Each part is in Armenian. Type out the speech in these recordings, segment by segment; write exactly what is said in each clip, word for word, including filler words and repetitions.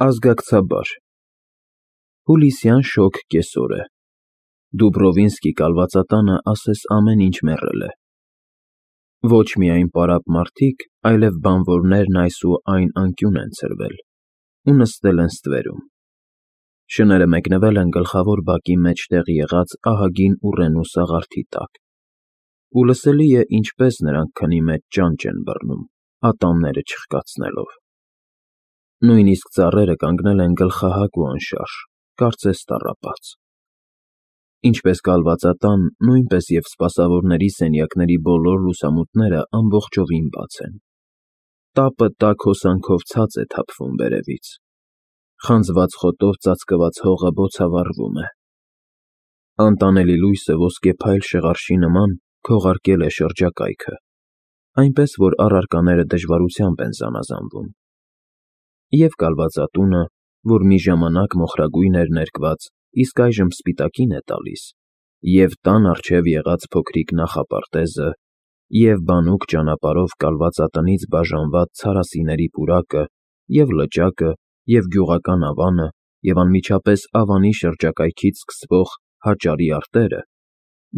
Ազգակցաբար Հուլիսյան շոգ կեսօր է։ Դուբրովինսկի կալվածատանը ասես ամեն ինչ մեռել է։ Ոչ միայն պարապ մարդիկ, այլև բանվորներն այս ու այն անկյուն են ցրվել ու նստել են ստվերում։ Շները մեկնվել են գլխավոր բակի մեջտեղ եղած ահագին ուռենու սաղարթի տակ, ու լսելի է, ինչպես նրանք քնի մեջ ճանճ են բռնում, ատամները չխկացնելով։ Նույնիսկ ծառերը կանգնել են գլխահակ ու անշարժ, կարծես տառապած։ Ինչպես կալվածատան, նույնպես և սպասավորների սենյակների բոլոր լուսամուտները ամբողջովին բաց են։ Տապը տաք հոսանքով ցած է թափվում վերևից։ Խանձված խոտով ծածկված հողը բոցավառվում է։ Անտանելի լույսը ոսկեփայլ շղարշի նման քողարկել է շրջակայքը, այնպես որ առարկաները դժվարությամբ են զանազանվում։ Եվ կալվածատունը, որ մի ժամանակ մոխրագույն էր ներկված, իսկ այժմ սպիտակին է տալիս, և տան առջև եղած փոքրիկ նախապարտեզը, և բանուկ ճանապարհով կալվածատնից բաժանված ցարասիների պուրակը, և լճակը, և գյուղական ավանը, և անմիջապես ավանի շրջակայքից սկսվող հաճարի արտերը,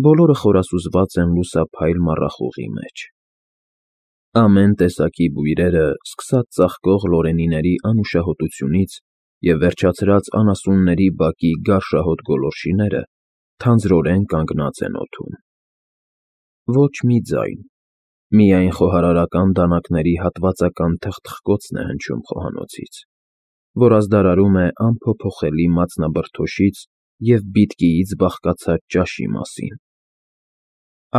բոլորը խորասուզված են լուսափայլ մառախուղի մեջ։ Ամեն տեսակի բույրերը, սկսած ծաղկող լորենիների անուշահոտությունից և վերջացրած անասունների բակի գարշահոտ գոլորշիները, թանձրորեն կանգնած են օդում։ Ոչ մի ձայն, միայն խոհարարական դանակների հատվածական թխթխկոցն է հնչում խոհանոցից, որ ազդարարում է անփոփոխելի մածնաբրդոշից և բիտկիից բաղկացած ճաշի մասին։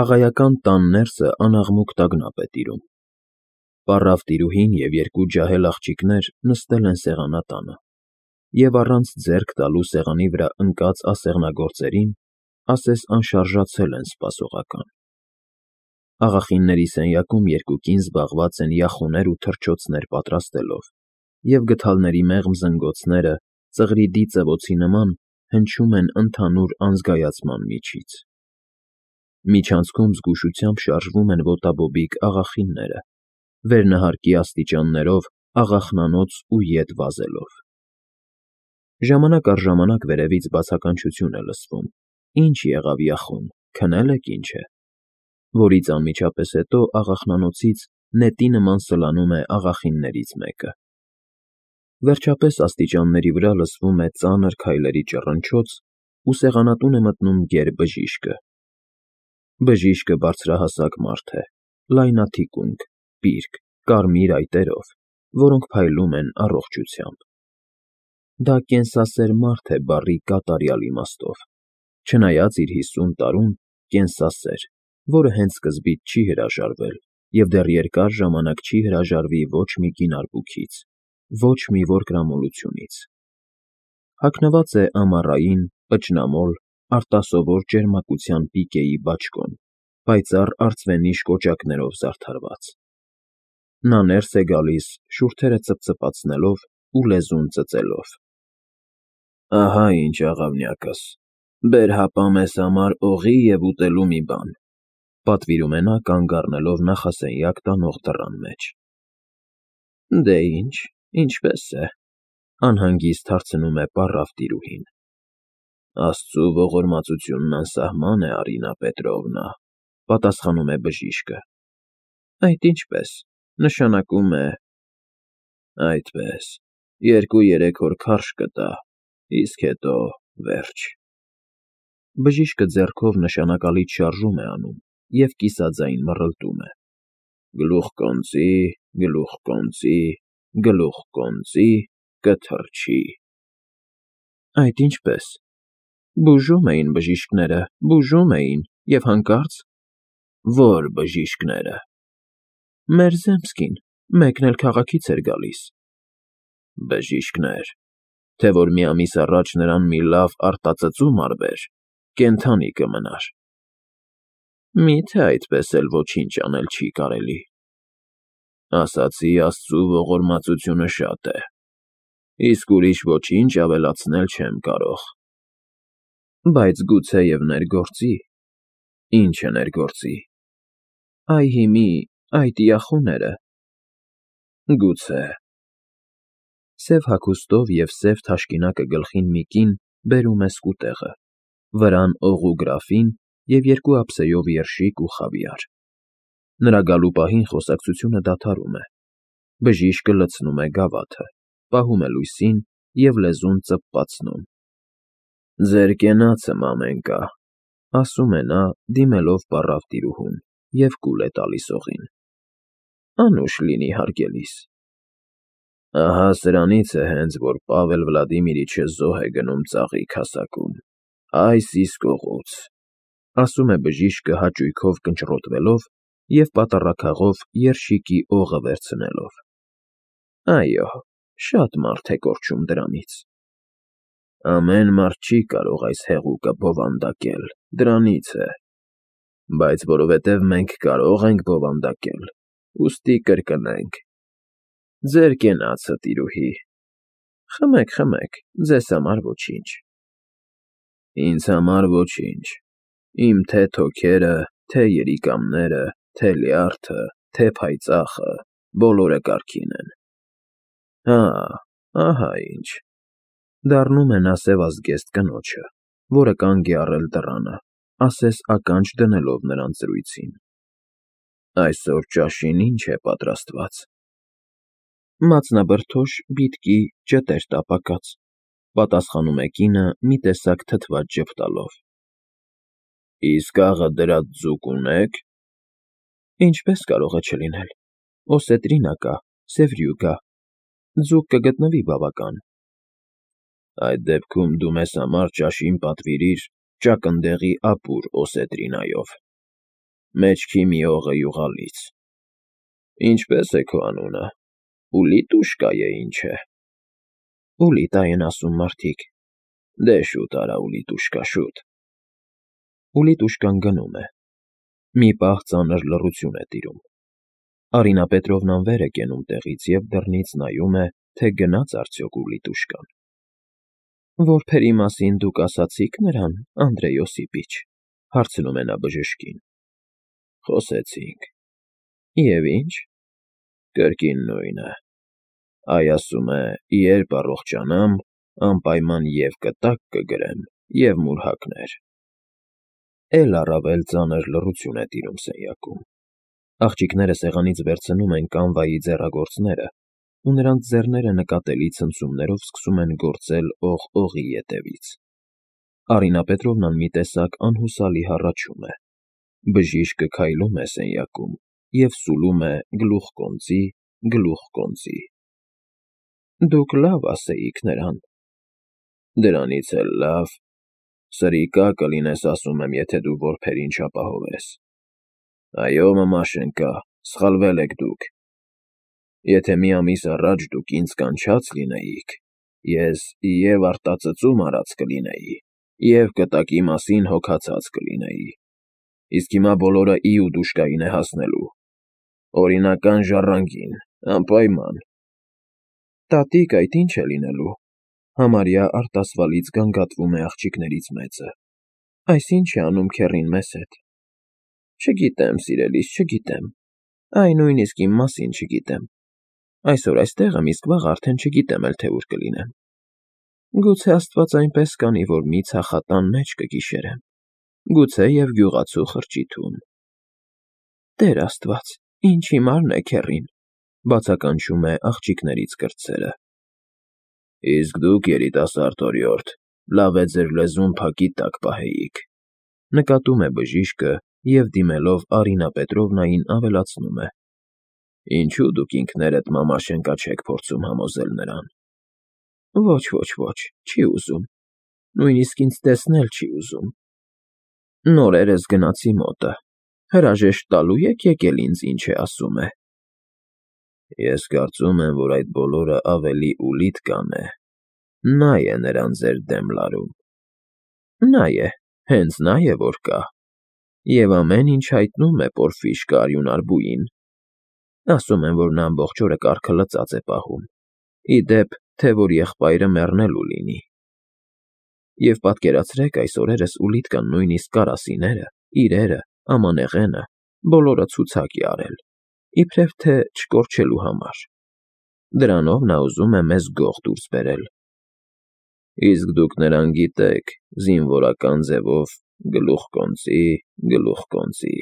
Աղայական տան ներսը անաղմուկ տագնապ է տիրում։ Պառավ տիրուհին և երկու ջահել աղջիկներ նստել են սեղանատանը և առանց ձեռք տալու սեղանի վրա ընկած ասեղնագործերին, ասես անշարժացել են սպասողական։ Աղախինների սենյակում երկու կին զբաղված են յախոներ ու թռչոցներ պատրաստելով, և գդալների մեղմ զնգոցները, ծղրիդի ծվոցի նման, հնչում են ընդհանուր անզգայացման միջից։ Միջանցքում զգուշությամբ շարժվում են ոտաբոբիկ աղախինները, վերնահարկի աստիճաններով աղախնանոց ու ետ վազելով։ Ժամանակ առ ժամանակ վերևից բացականչություն է լսվում. «Ի՞նչ եղավ, յախոն, քնել եք, ինչ է», որից անմիջապես հետո աղախնանոցից նետի նման սլանում է աղախիններից մեկը։ Վերջապես աստիճանների վրա լսվում է ծանր քայլերի ճռնչոց, ու սեղանատուն է մտնում գեր բժիշկը։ Բժիշկը բարձրահասակ մարդ է, լայնաթիկունք, պիրկ, կարմիր այտերով, որոնք փայլում են առողջությամբ։ Դա կենսասեր մարդ է բառի կատարյալ իմաստով, չնայած իր հիսուն տարուն կենսասեր, որը հենց սկզբից չի հրաժարվել և դեռ երկար ժամանակ չի հրաժարվի ոչ մի կին արբուքից, ոչ մի որկրամոլությունից։ Հագնված է ամառային, պճնամոլ, արտասովոր ճերմակության պիկեի բաճկոն, պայծառ արծվենիշ կոճակներով զարդարված։ Նա ներս է գալիս, շուրթերը ծպծպացնելով ու լեզուն ծծելով։ «Ահա ինչ, աղավնյակս, բեր հապա մեզ համար օղի և ուտելու մի բան», պատվիրում է նա, կանգ առնելով նախասենյակ տանող դռան մեջ։ «Դե ինչ, ինչպես է», անհանգիստ հարցնում է պառավ տիրուհին։ «Աստծու ողորմածությունն անսահման է, Արինա Պետրովնա», պատասխանում է բժիշկը։ «Այդ ինչպես, նշանակում է…» «Այդպես, երկու֊երեք օր քարշ կտա, իսկ հետո վերջ»։ Բժիշկը ձեռքով նշանակալից շարժում է անում և կիսաձայն մռլտում է. «Գլուխ կոնծի, գլուխ կոնծի, գլուխ կոնծի, կթռչի»։ «Այդ ինչպես, բուժում էին բժիշկները, բուժում էին, և հանկարծ…» «Ո՞ր բժիշկները»։ «Մեր zemskին, մեկն էլ քաղաքից էր գալիս»։ «Բժիշկներ, թե որ մի ամիս առաջ նրան մի լավ արտածծում արվեր, կենդանի կմնար»։ «Մի՞թե այդպես էլ ոչինչ անել չի կարելի»։ «Ասացի, Աստծու ողորմածությունը շատ է, իսկ ուրիշ ոչինչ ավելացնել չեմ կարող»։ «Բայց գուցեև ներգործի»։ «Ի՞նչը ներգործի»։ «Այ հիմի, այդ յախոները»։ «Գուցե»։ Սև հագուստով և սև թաշկինակը գլխին մի կին բերում է սկուտեղը, վրան օղու գրաֆին և երկու ափսեով երշիկ ու խավիար։ Նրա գալու պահին խոսակցությունը դադարում է, բժիշկը լցնում է գավաթը, պահում է լույսին և լեզուն ծպպացնում։ «Ձեր կենացը, մամենկա», ասում է նա, դիմելով պառավ տիրուհուն, և կուլ է տալիս օղին։ «Անուշ լինի, հարգելիս»։ Ահա սրանից է հենց, որ Պավել Վլադիմիրիչը զոհ է գնում ծաղիկ հասակում, այս իսկ օղուց, ասում է բժիշկը հաճույքով կնճռոտվելով և պատառաքաղով երշիկի օղը վերցնելով։ Այո, շատ մարդ է կորչում դրանից։ Ամեն մարդ չի կարող այս հեղուկը բովանդակել, դրանից է, բայց որովհետև մենք կարող ենք բովանդակել, ուստի կրկնենք։ Ձեր կենացը, տիրուհի։ Խմեք, խմեք, ձեզ համար ոչինչ։ Ինձ համար ոչինչ, իմ թե թոքերը, թե երիկամները, թե լյարդը, թե փայծաղը, բոլորը կարգին են։ Հա, ահա ինչ, դառնում է նա սևազգեստ կնոջը, որը կանգ է առել դռանը, ասես ականջ դնելով նրան զրույցին։ Այսօր ճաշին ի՞նչ է պատրաստված։ Մածնաբրդոշ, բիդկի, ճտեր տապակած, պատասխանում է կինը մի տեսակ թթված ժպտալով։ Իսկ աղը դրած ձուկ ունե՞ք։ Ինչպես կարող է չլինել, օսետրինա կա, սևրյու կա, ձուկ կգտնվի բավական։ Այդ դեպքում դու մեզ համար ճաշին պատվիրիր ճակնդեղի ապուր օսետրինայով, մեջքի մի օղը յուղալից։ Ինչպե՞ս է քո անունը, Ուլիտուշկա է, ինչ է։ Ուլիտա են ասում մարդիկ։ Դե շուտ արա, Ուլիտուշկա, շուտ։ Ուլիտուշկան գնում է։ Մի պահ ծանր լռություն է տիրում։ Արինա Պետրովնան վեր է կենում տեղից և դռնից նայում է, թե գնաց արդյոք Ուլիտուշկան։ Որբերի մասին դուք ասացի՞ք նրան, Անդրեյ Օսիպիչ, հարցնում է նա բժշկին։ Խոսեցինք։ Եվ ինչ։ Կրկին նույնը։ Այ ասում է, երբ առողջանամ, անպայման և կտակ կգրեմ, և մուրհակներ։ Էլ առավել ծանր լռություն է տիրում սենյակում։ Աղջիկները սեղանից վերցնում են կանվայի ձեռագործները, ու նրանց ձեռները նկատելի ցնցումներով սկսում են գործել օղ օղի ետևից։ Արինա Պետրովնան մի տեսակ անհուսալի հառաչում է։ Բժիշկը քայլում է սենյակում և սուլում է գլուխկոնծի, գլուխկոնծի։ Դուք լավ ասեիք նրան։ Դրանից էլ լավ։ Սրիկա կլինես, ասում եմ, եթե դու որբերին չապահովես։ Այո, մամաշենկա, սխալվել եք դուք։ Եթե մի ամիս առաջ դուք ինձ կանչած լինեիք, ես և արտածծում արած կլինեի, և կտակի մասին հոգացած կլինեի։ Իսկ հիմա բոլորը Իուդուշկային է հասնելու։ Օրինական ժառանգին, անպայման։ Տատիկ, այդ ի՞նչ է լինելու։ Համարյա արտասվալից գանգատվում է աղջիկներից մեծը։ Այս ի՞նչ է անում քեռին մեզ հետ։ Չգիտեմ, սիրելիս, չգիտեմ։ Այ նույնիսկ իմ մասին չգիտեմ։ Այսօր այստեղ եմ, իսկ վաղ արդեն չգիտեմ էլ, թե ուր կլինեմ։ Գուցե Աստված այնպես կանի, որ մի ցախատան մեջ կգիշերեմ, գուցե և գյուղացու խրճիթում։ Տեր Աստված, ինչ հիմարն է քեռին, բացականչում է աղջիկներից կրտսերը։ Իսկ դուք, երիտասարդ օրիորդ, լավ է ձեր լեզուն փակի տակ պահեիք, նկատում է բժիշկը և դիմելով Արինա Պետրովնային ավելացնում է. Ինչու դուք ինքներդ մամաշենկա չեք փորձում համոզել նրան։ Ոչ, ոչ, ոչ, չի ուզում, նույնիսկ ինձ տեսնել չի ուզում։ Նորերս գնացի մոտը, հրաժեշտ տալու եք եկել ինձ, ինչ է ասում է։ Ես կարծում եմ, որ այդ բոլորը ավելի Ուլիտկան է, նա է նրան ձեր դեմ լարում։ Նա է, հենց նա է, որ կա։ Եվ ամեն ինչ հայտնում է Պորֆիշկը արյունարբուին։ Ասում են, որ նա ամբողջ օրը կառքը լծած է պահում, ի դեպ, թե որ եղբայրը մեռնելու լինի։ Եվ պատկերացրեք, այս օրերս Ուլիտկան նույնիսկ կարասիները, իրերը, ամանեղենը, բոլորը ցուցակ է արել, իբրև թե չկորչելու համար։ Դրանով նա ուզում է մեզ գող դուրս բերել։ Իսկ դուք նրան գիտեք, զինվորական ձևով գլուխկոնծի, գլուխկոնծի…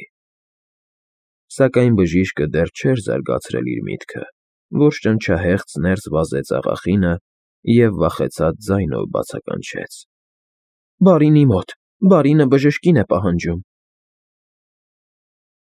Սակայն բժիշկը դեռ չէր զարգացրել իր միտքը, որ շնչահեղձ ներս վազեց աղախինը և վախեցած ձայնով բացականչեց. ֊ Բարինի մոտ… Բարինը բժշկին է պահանջում։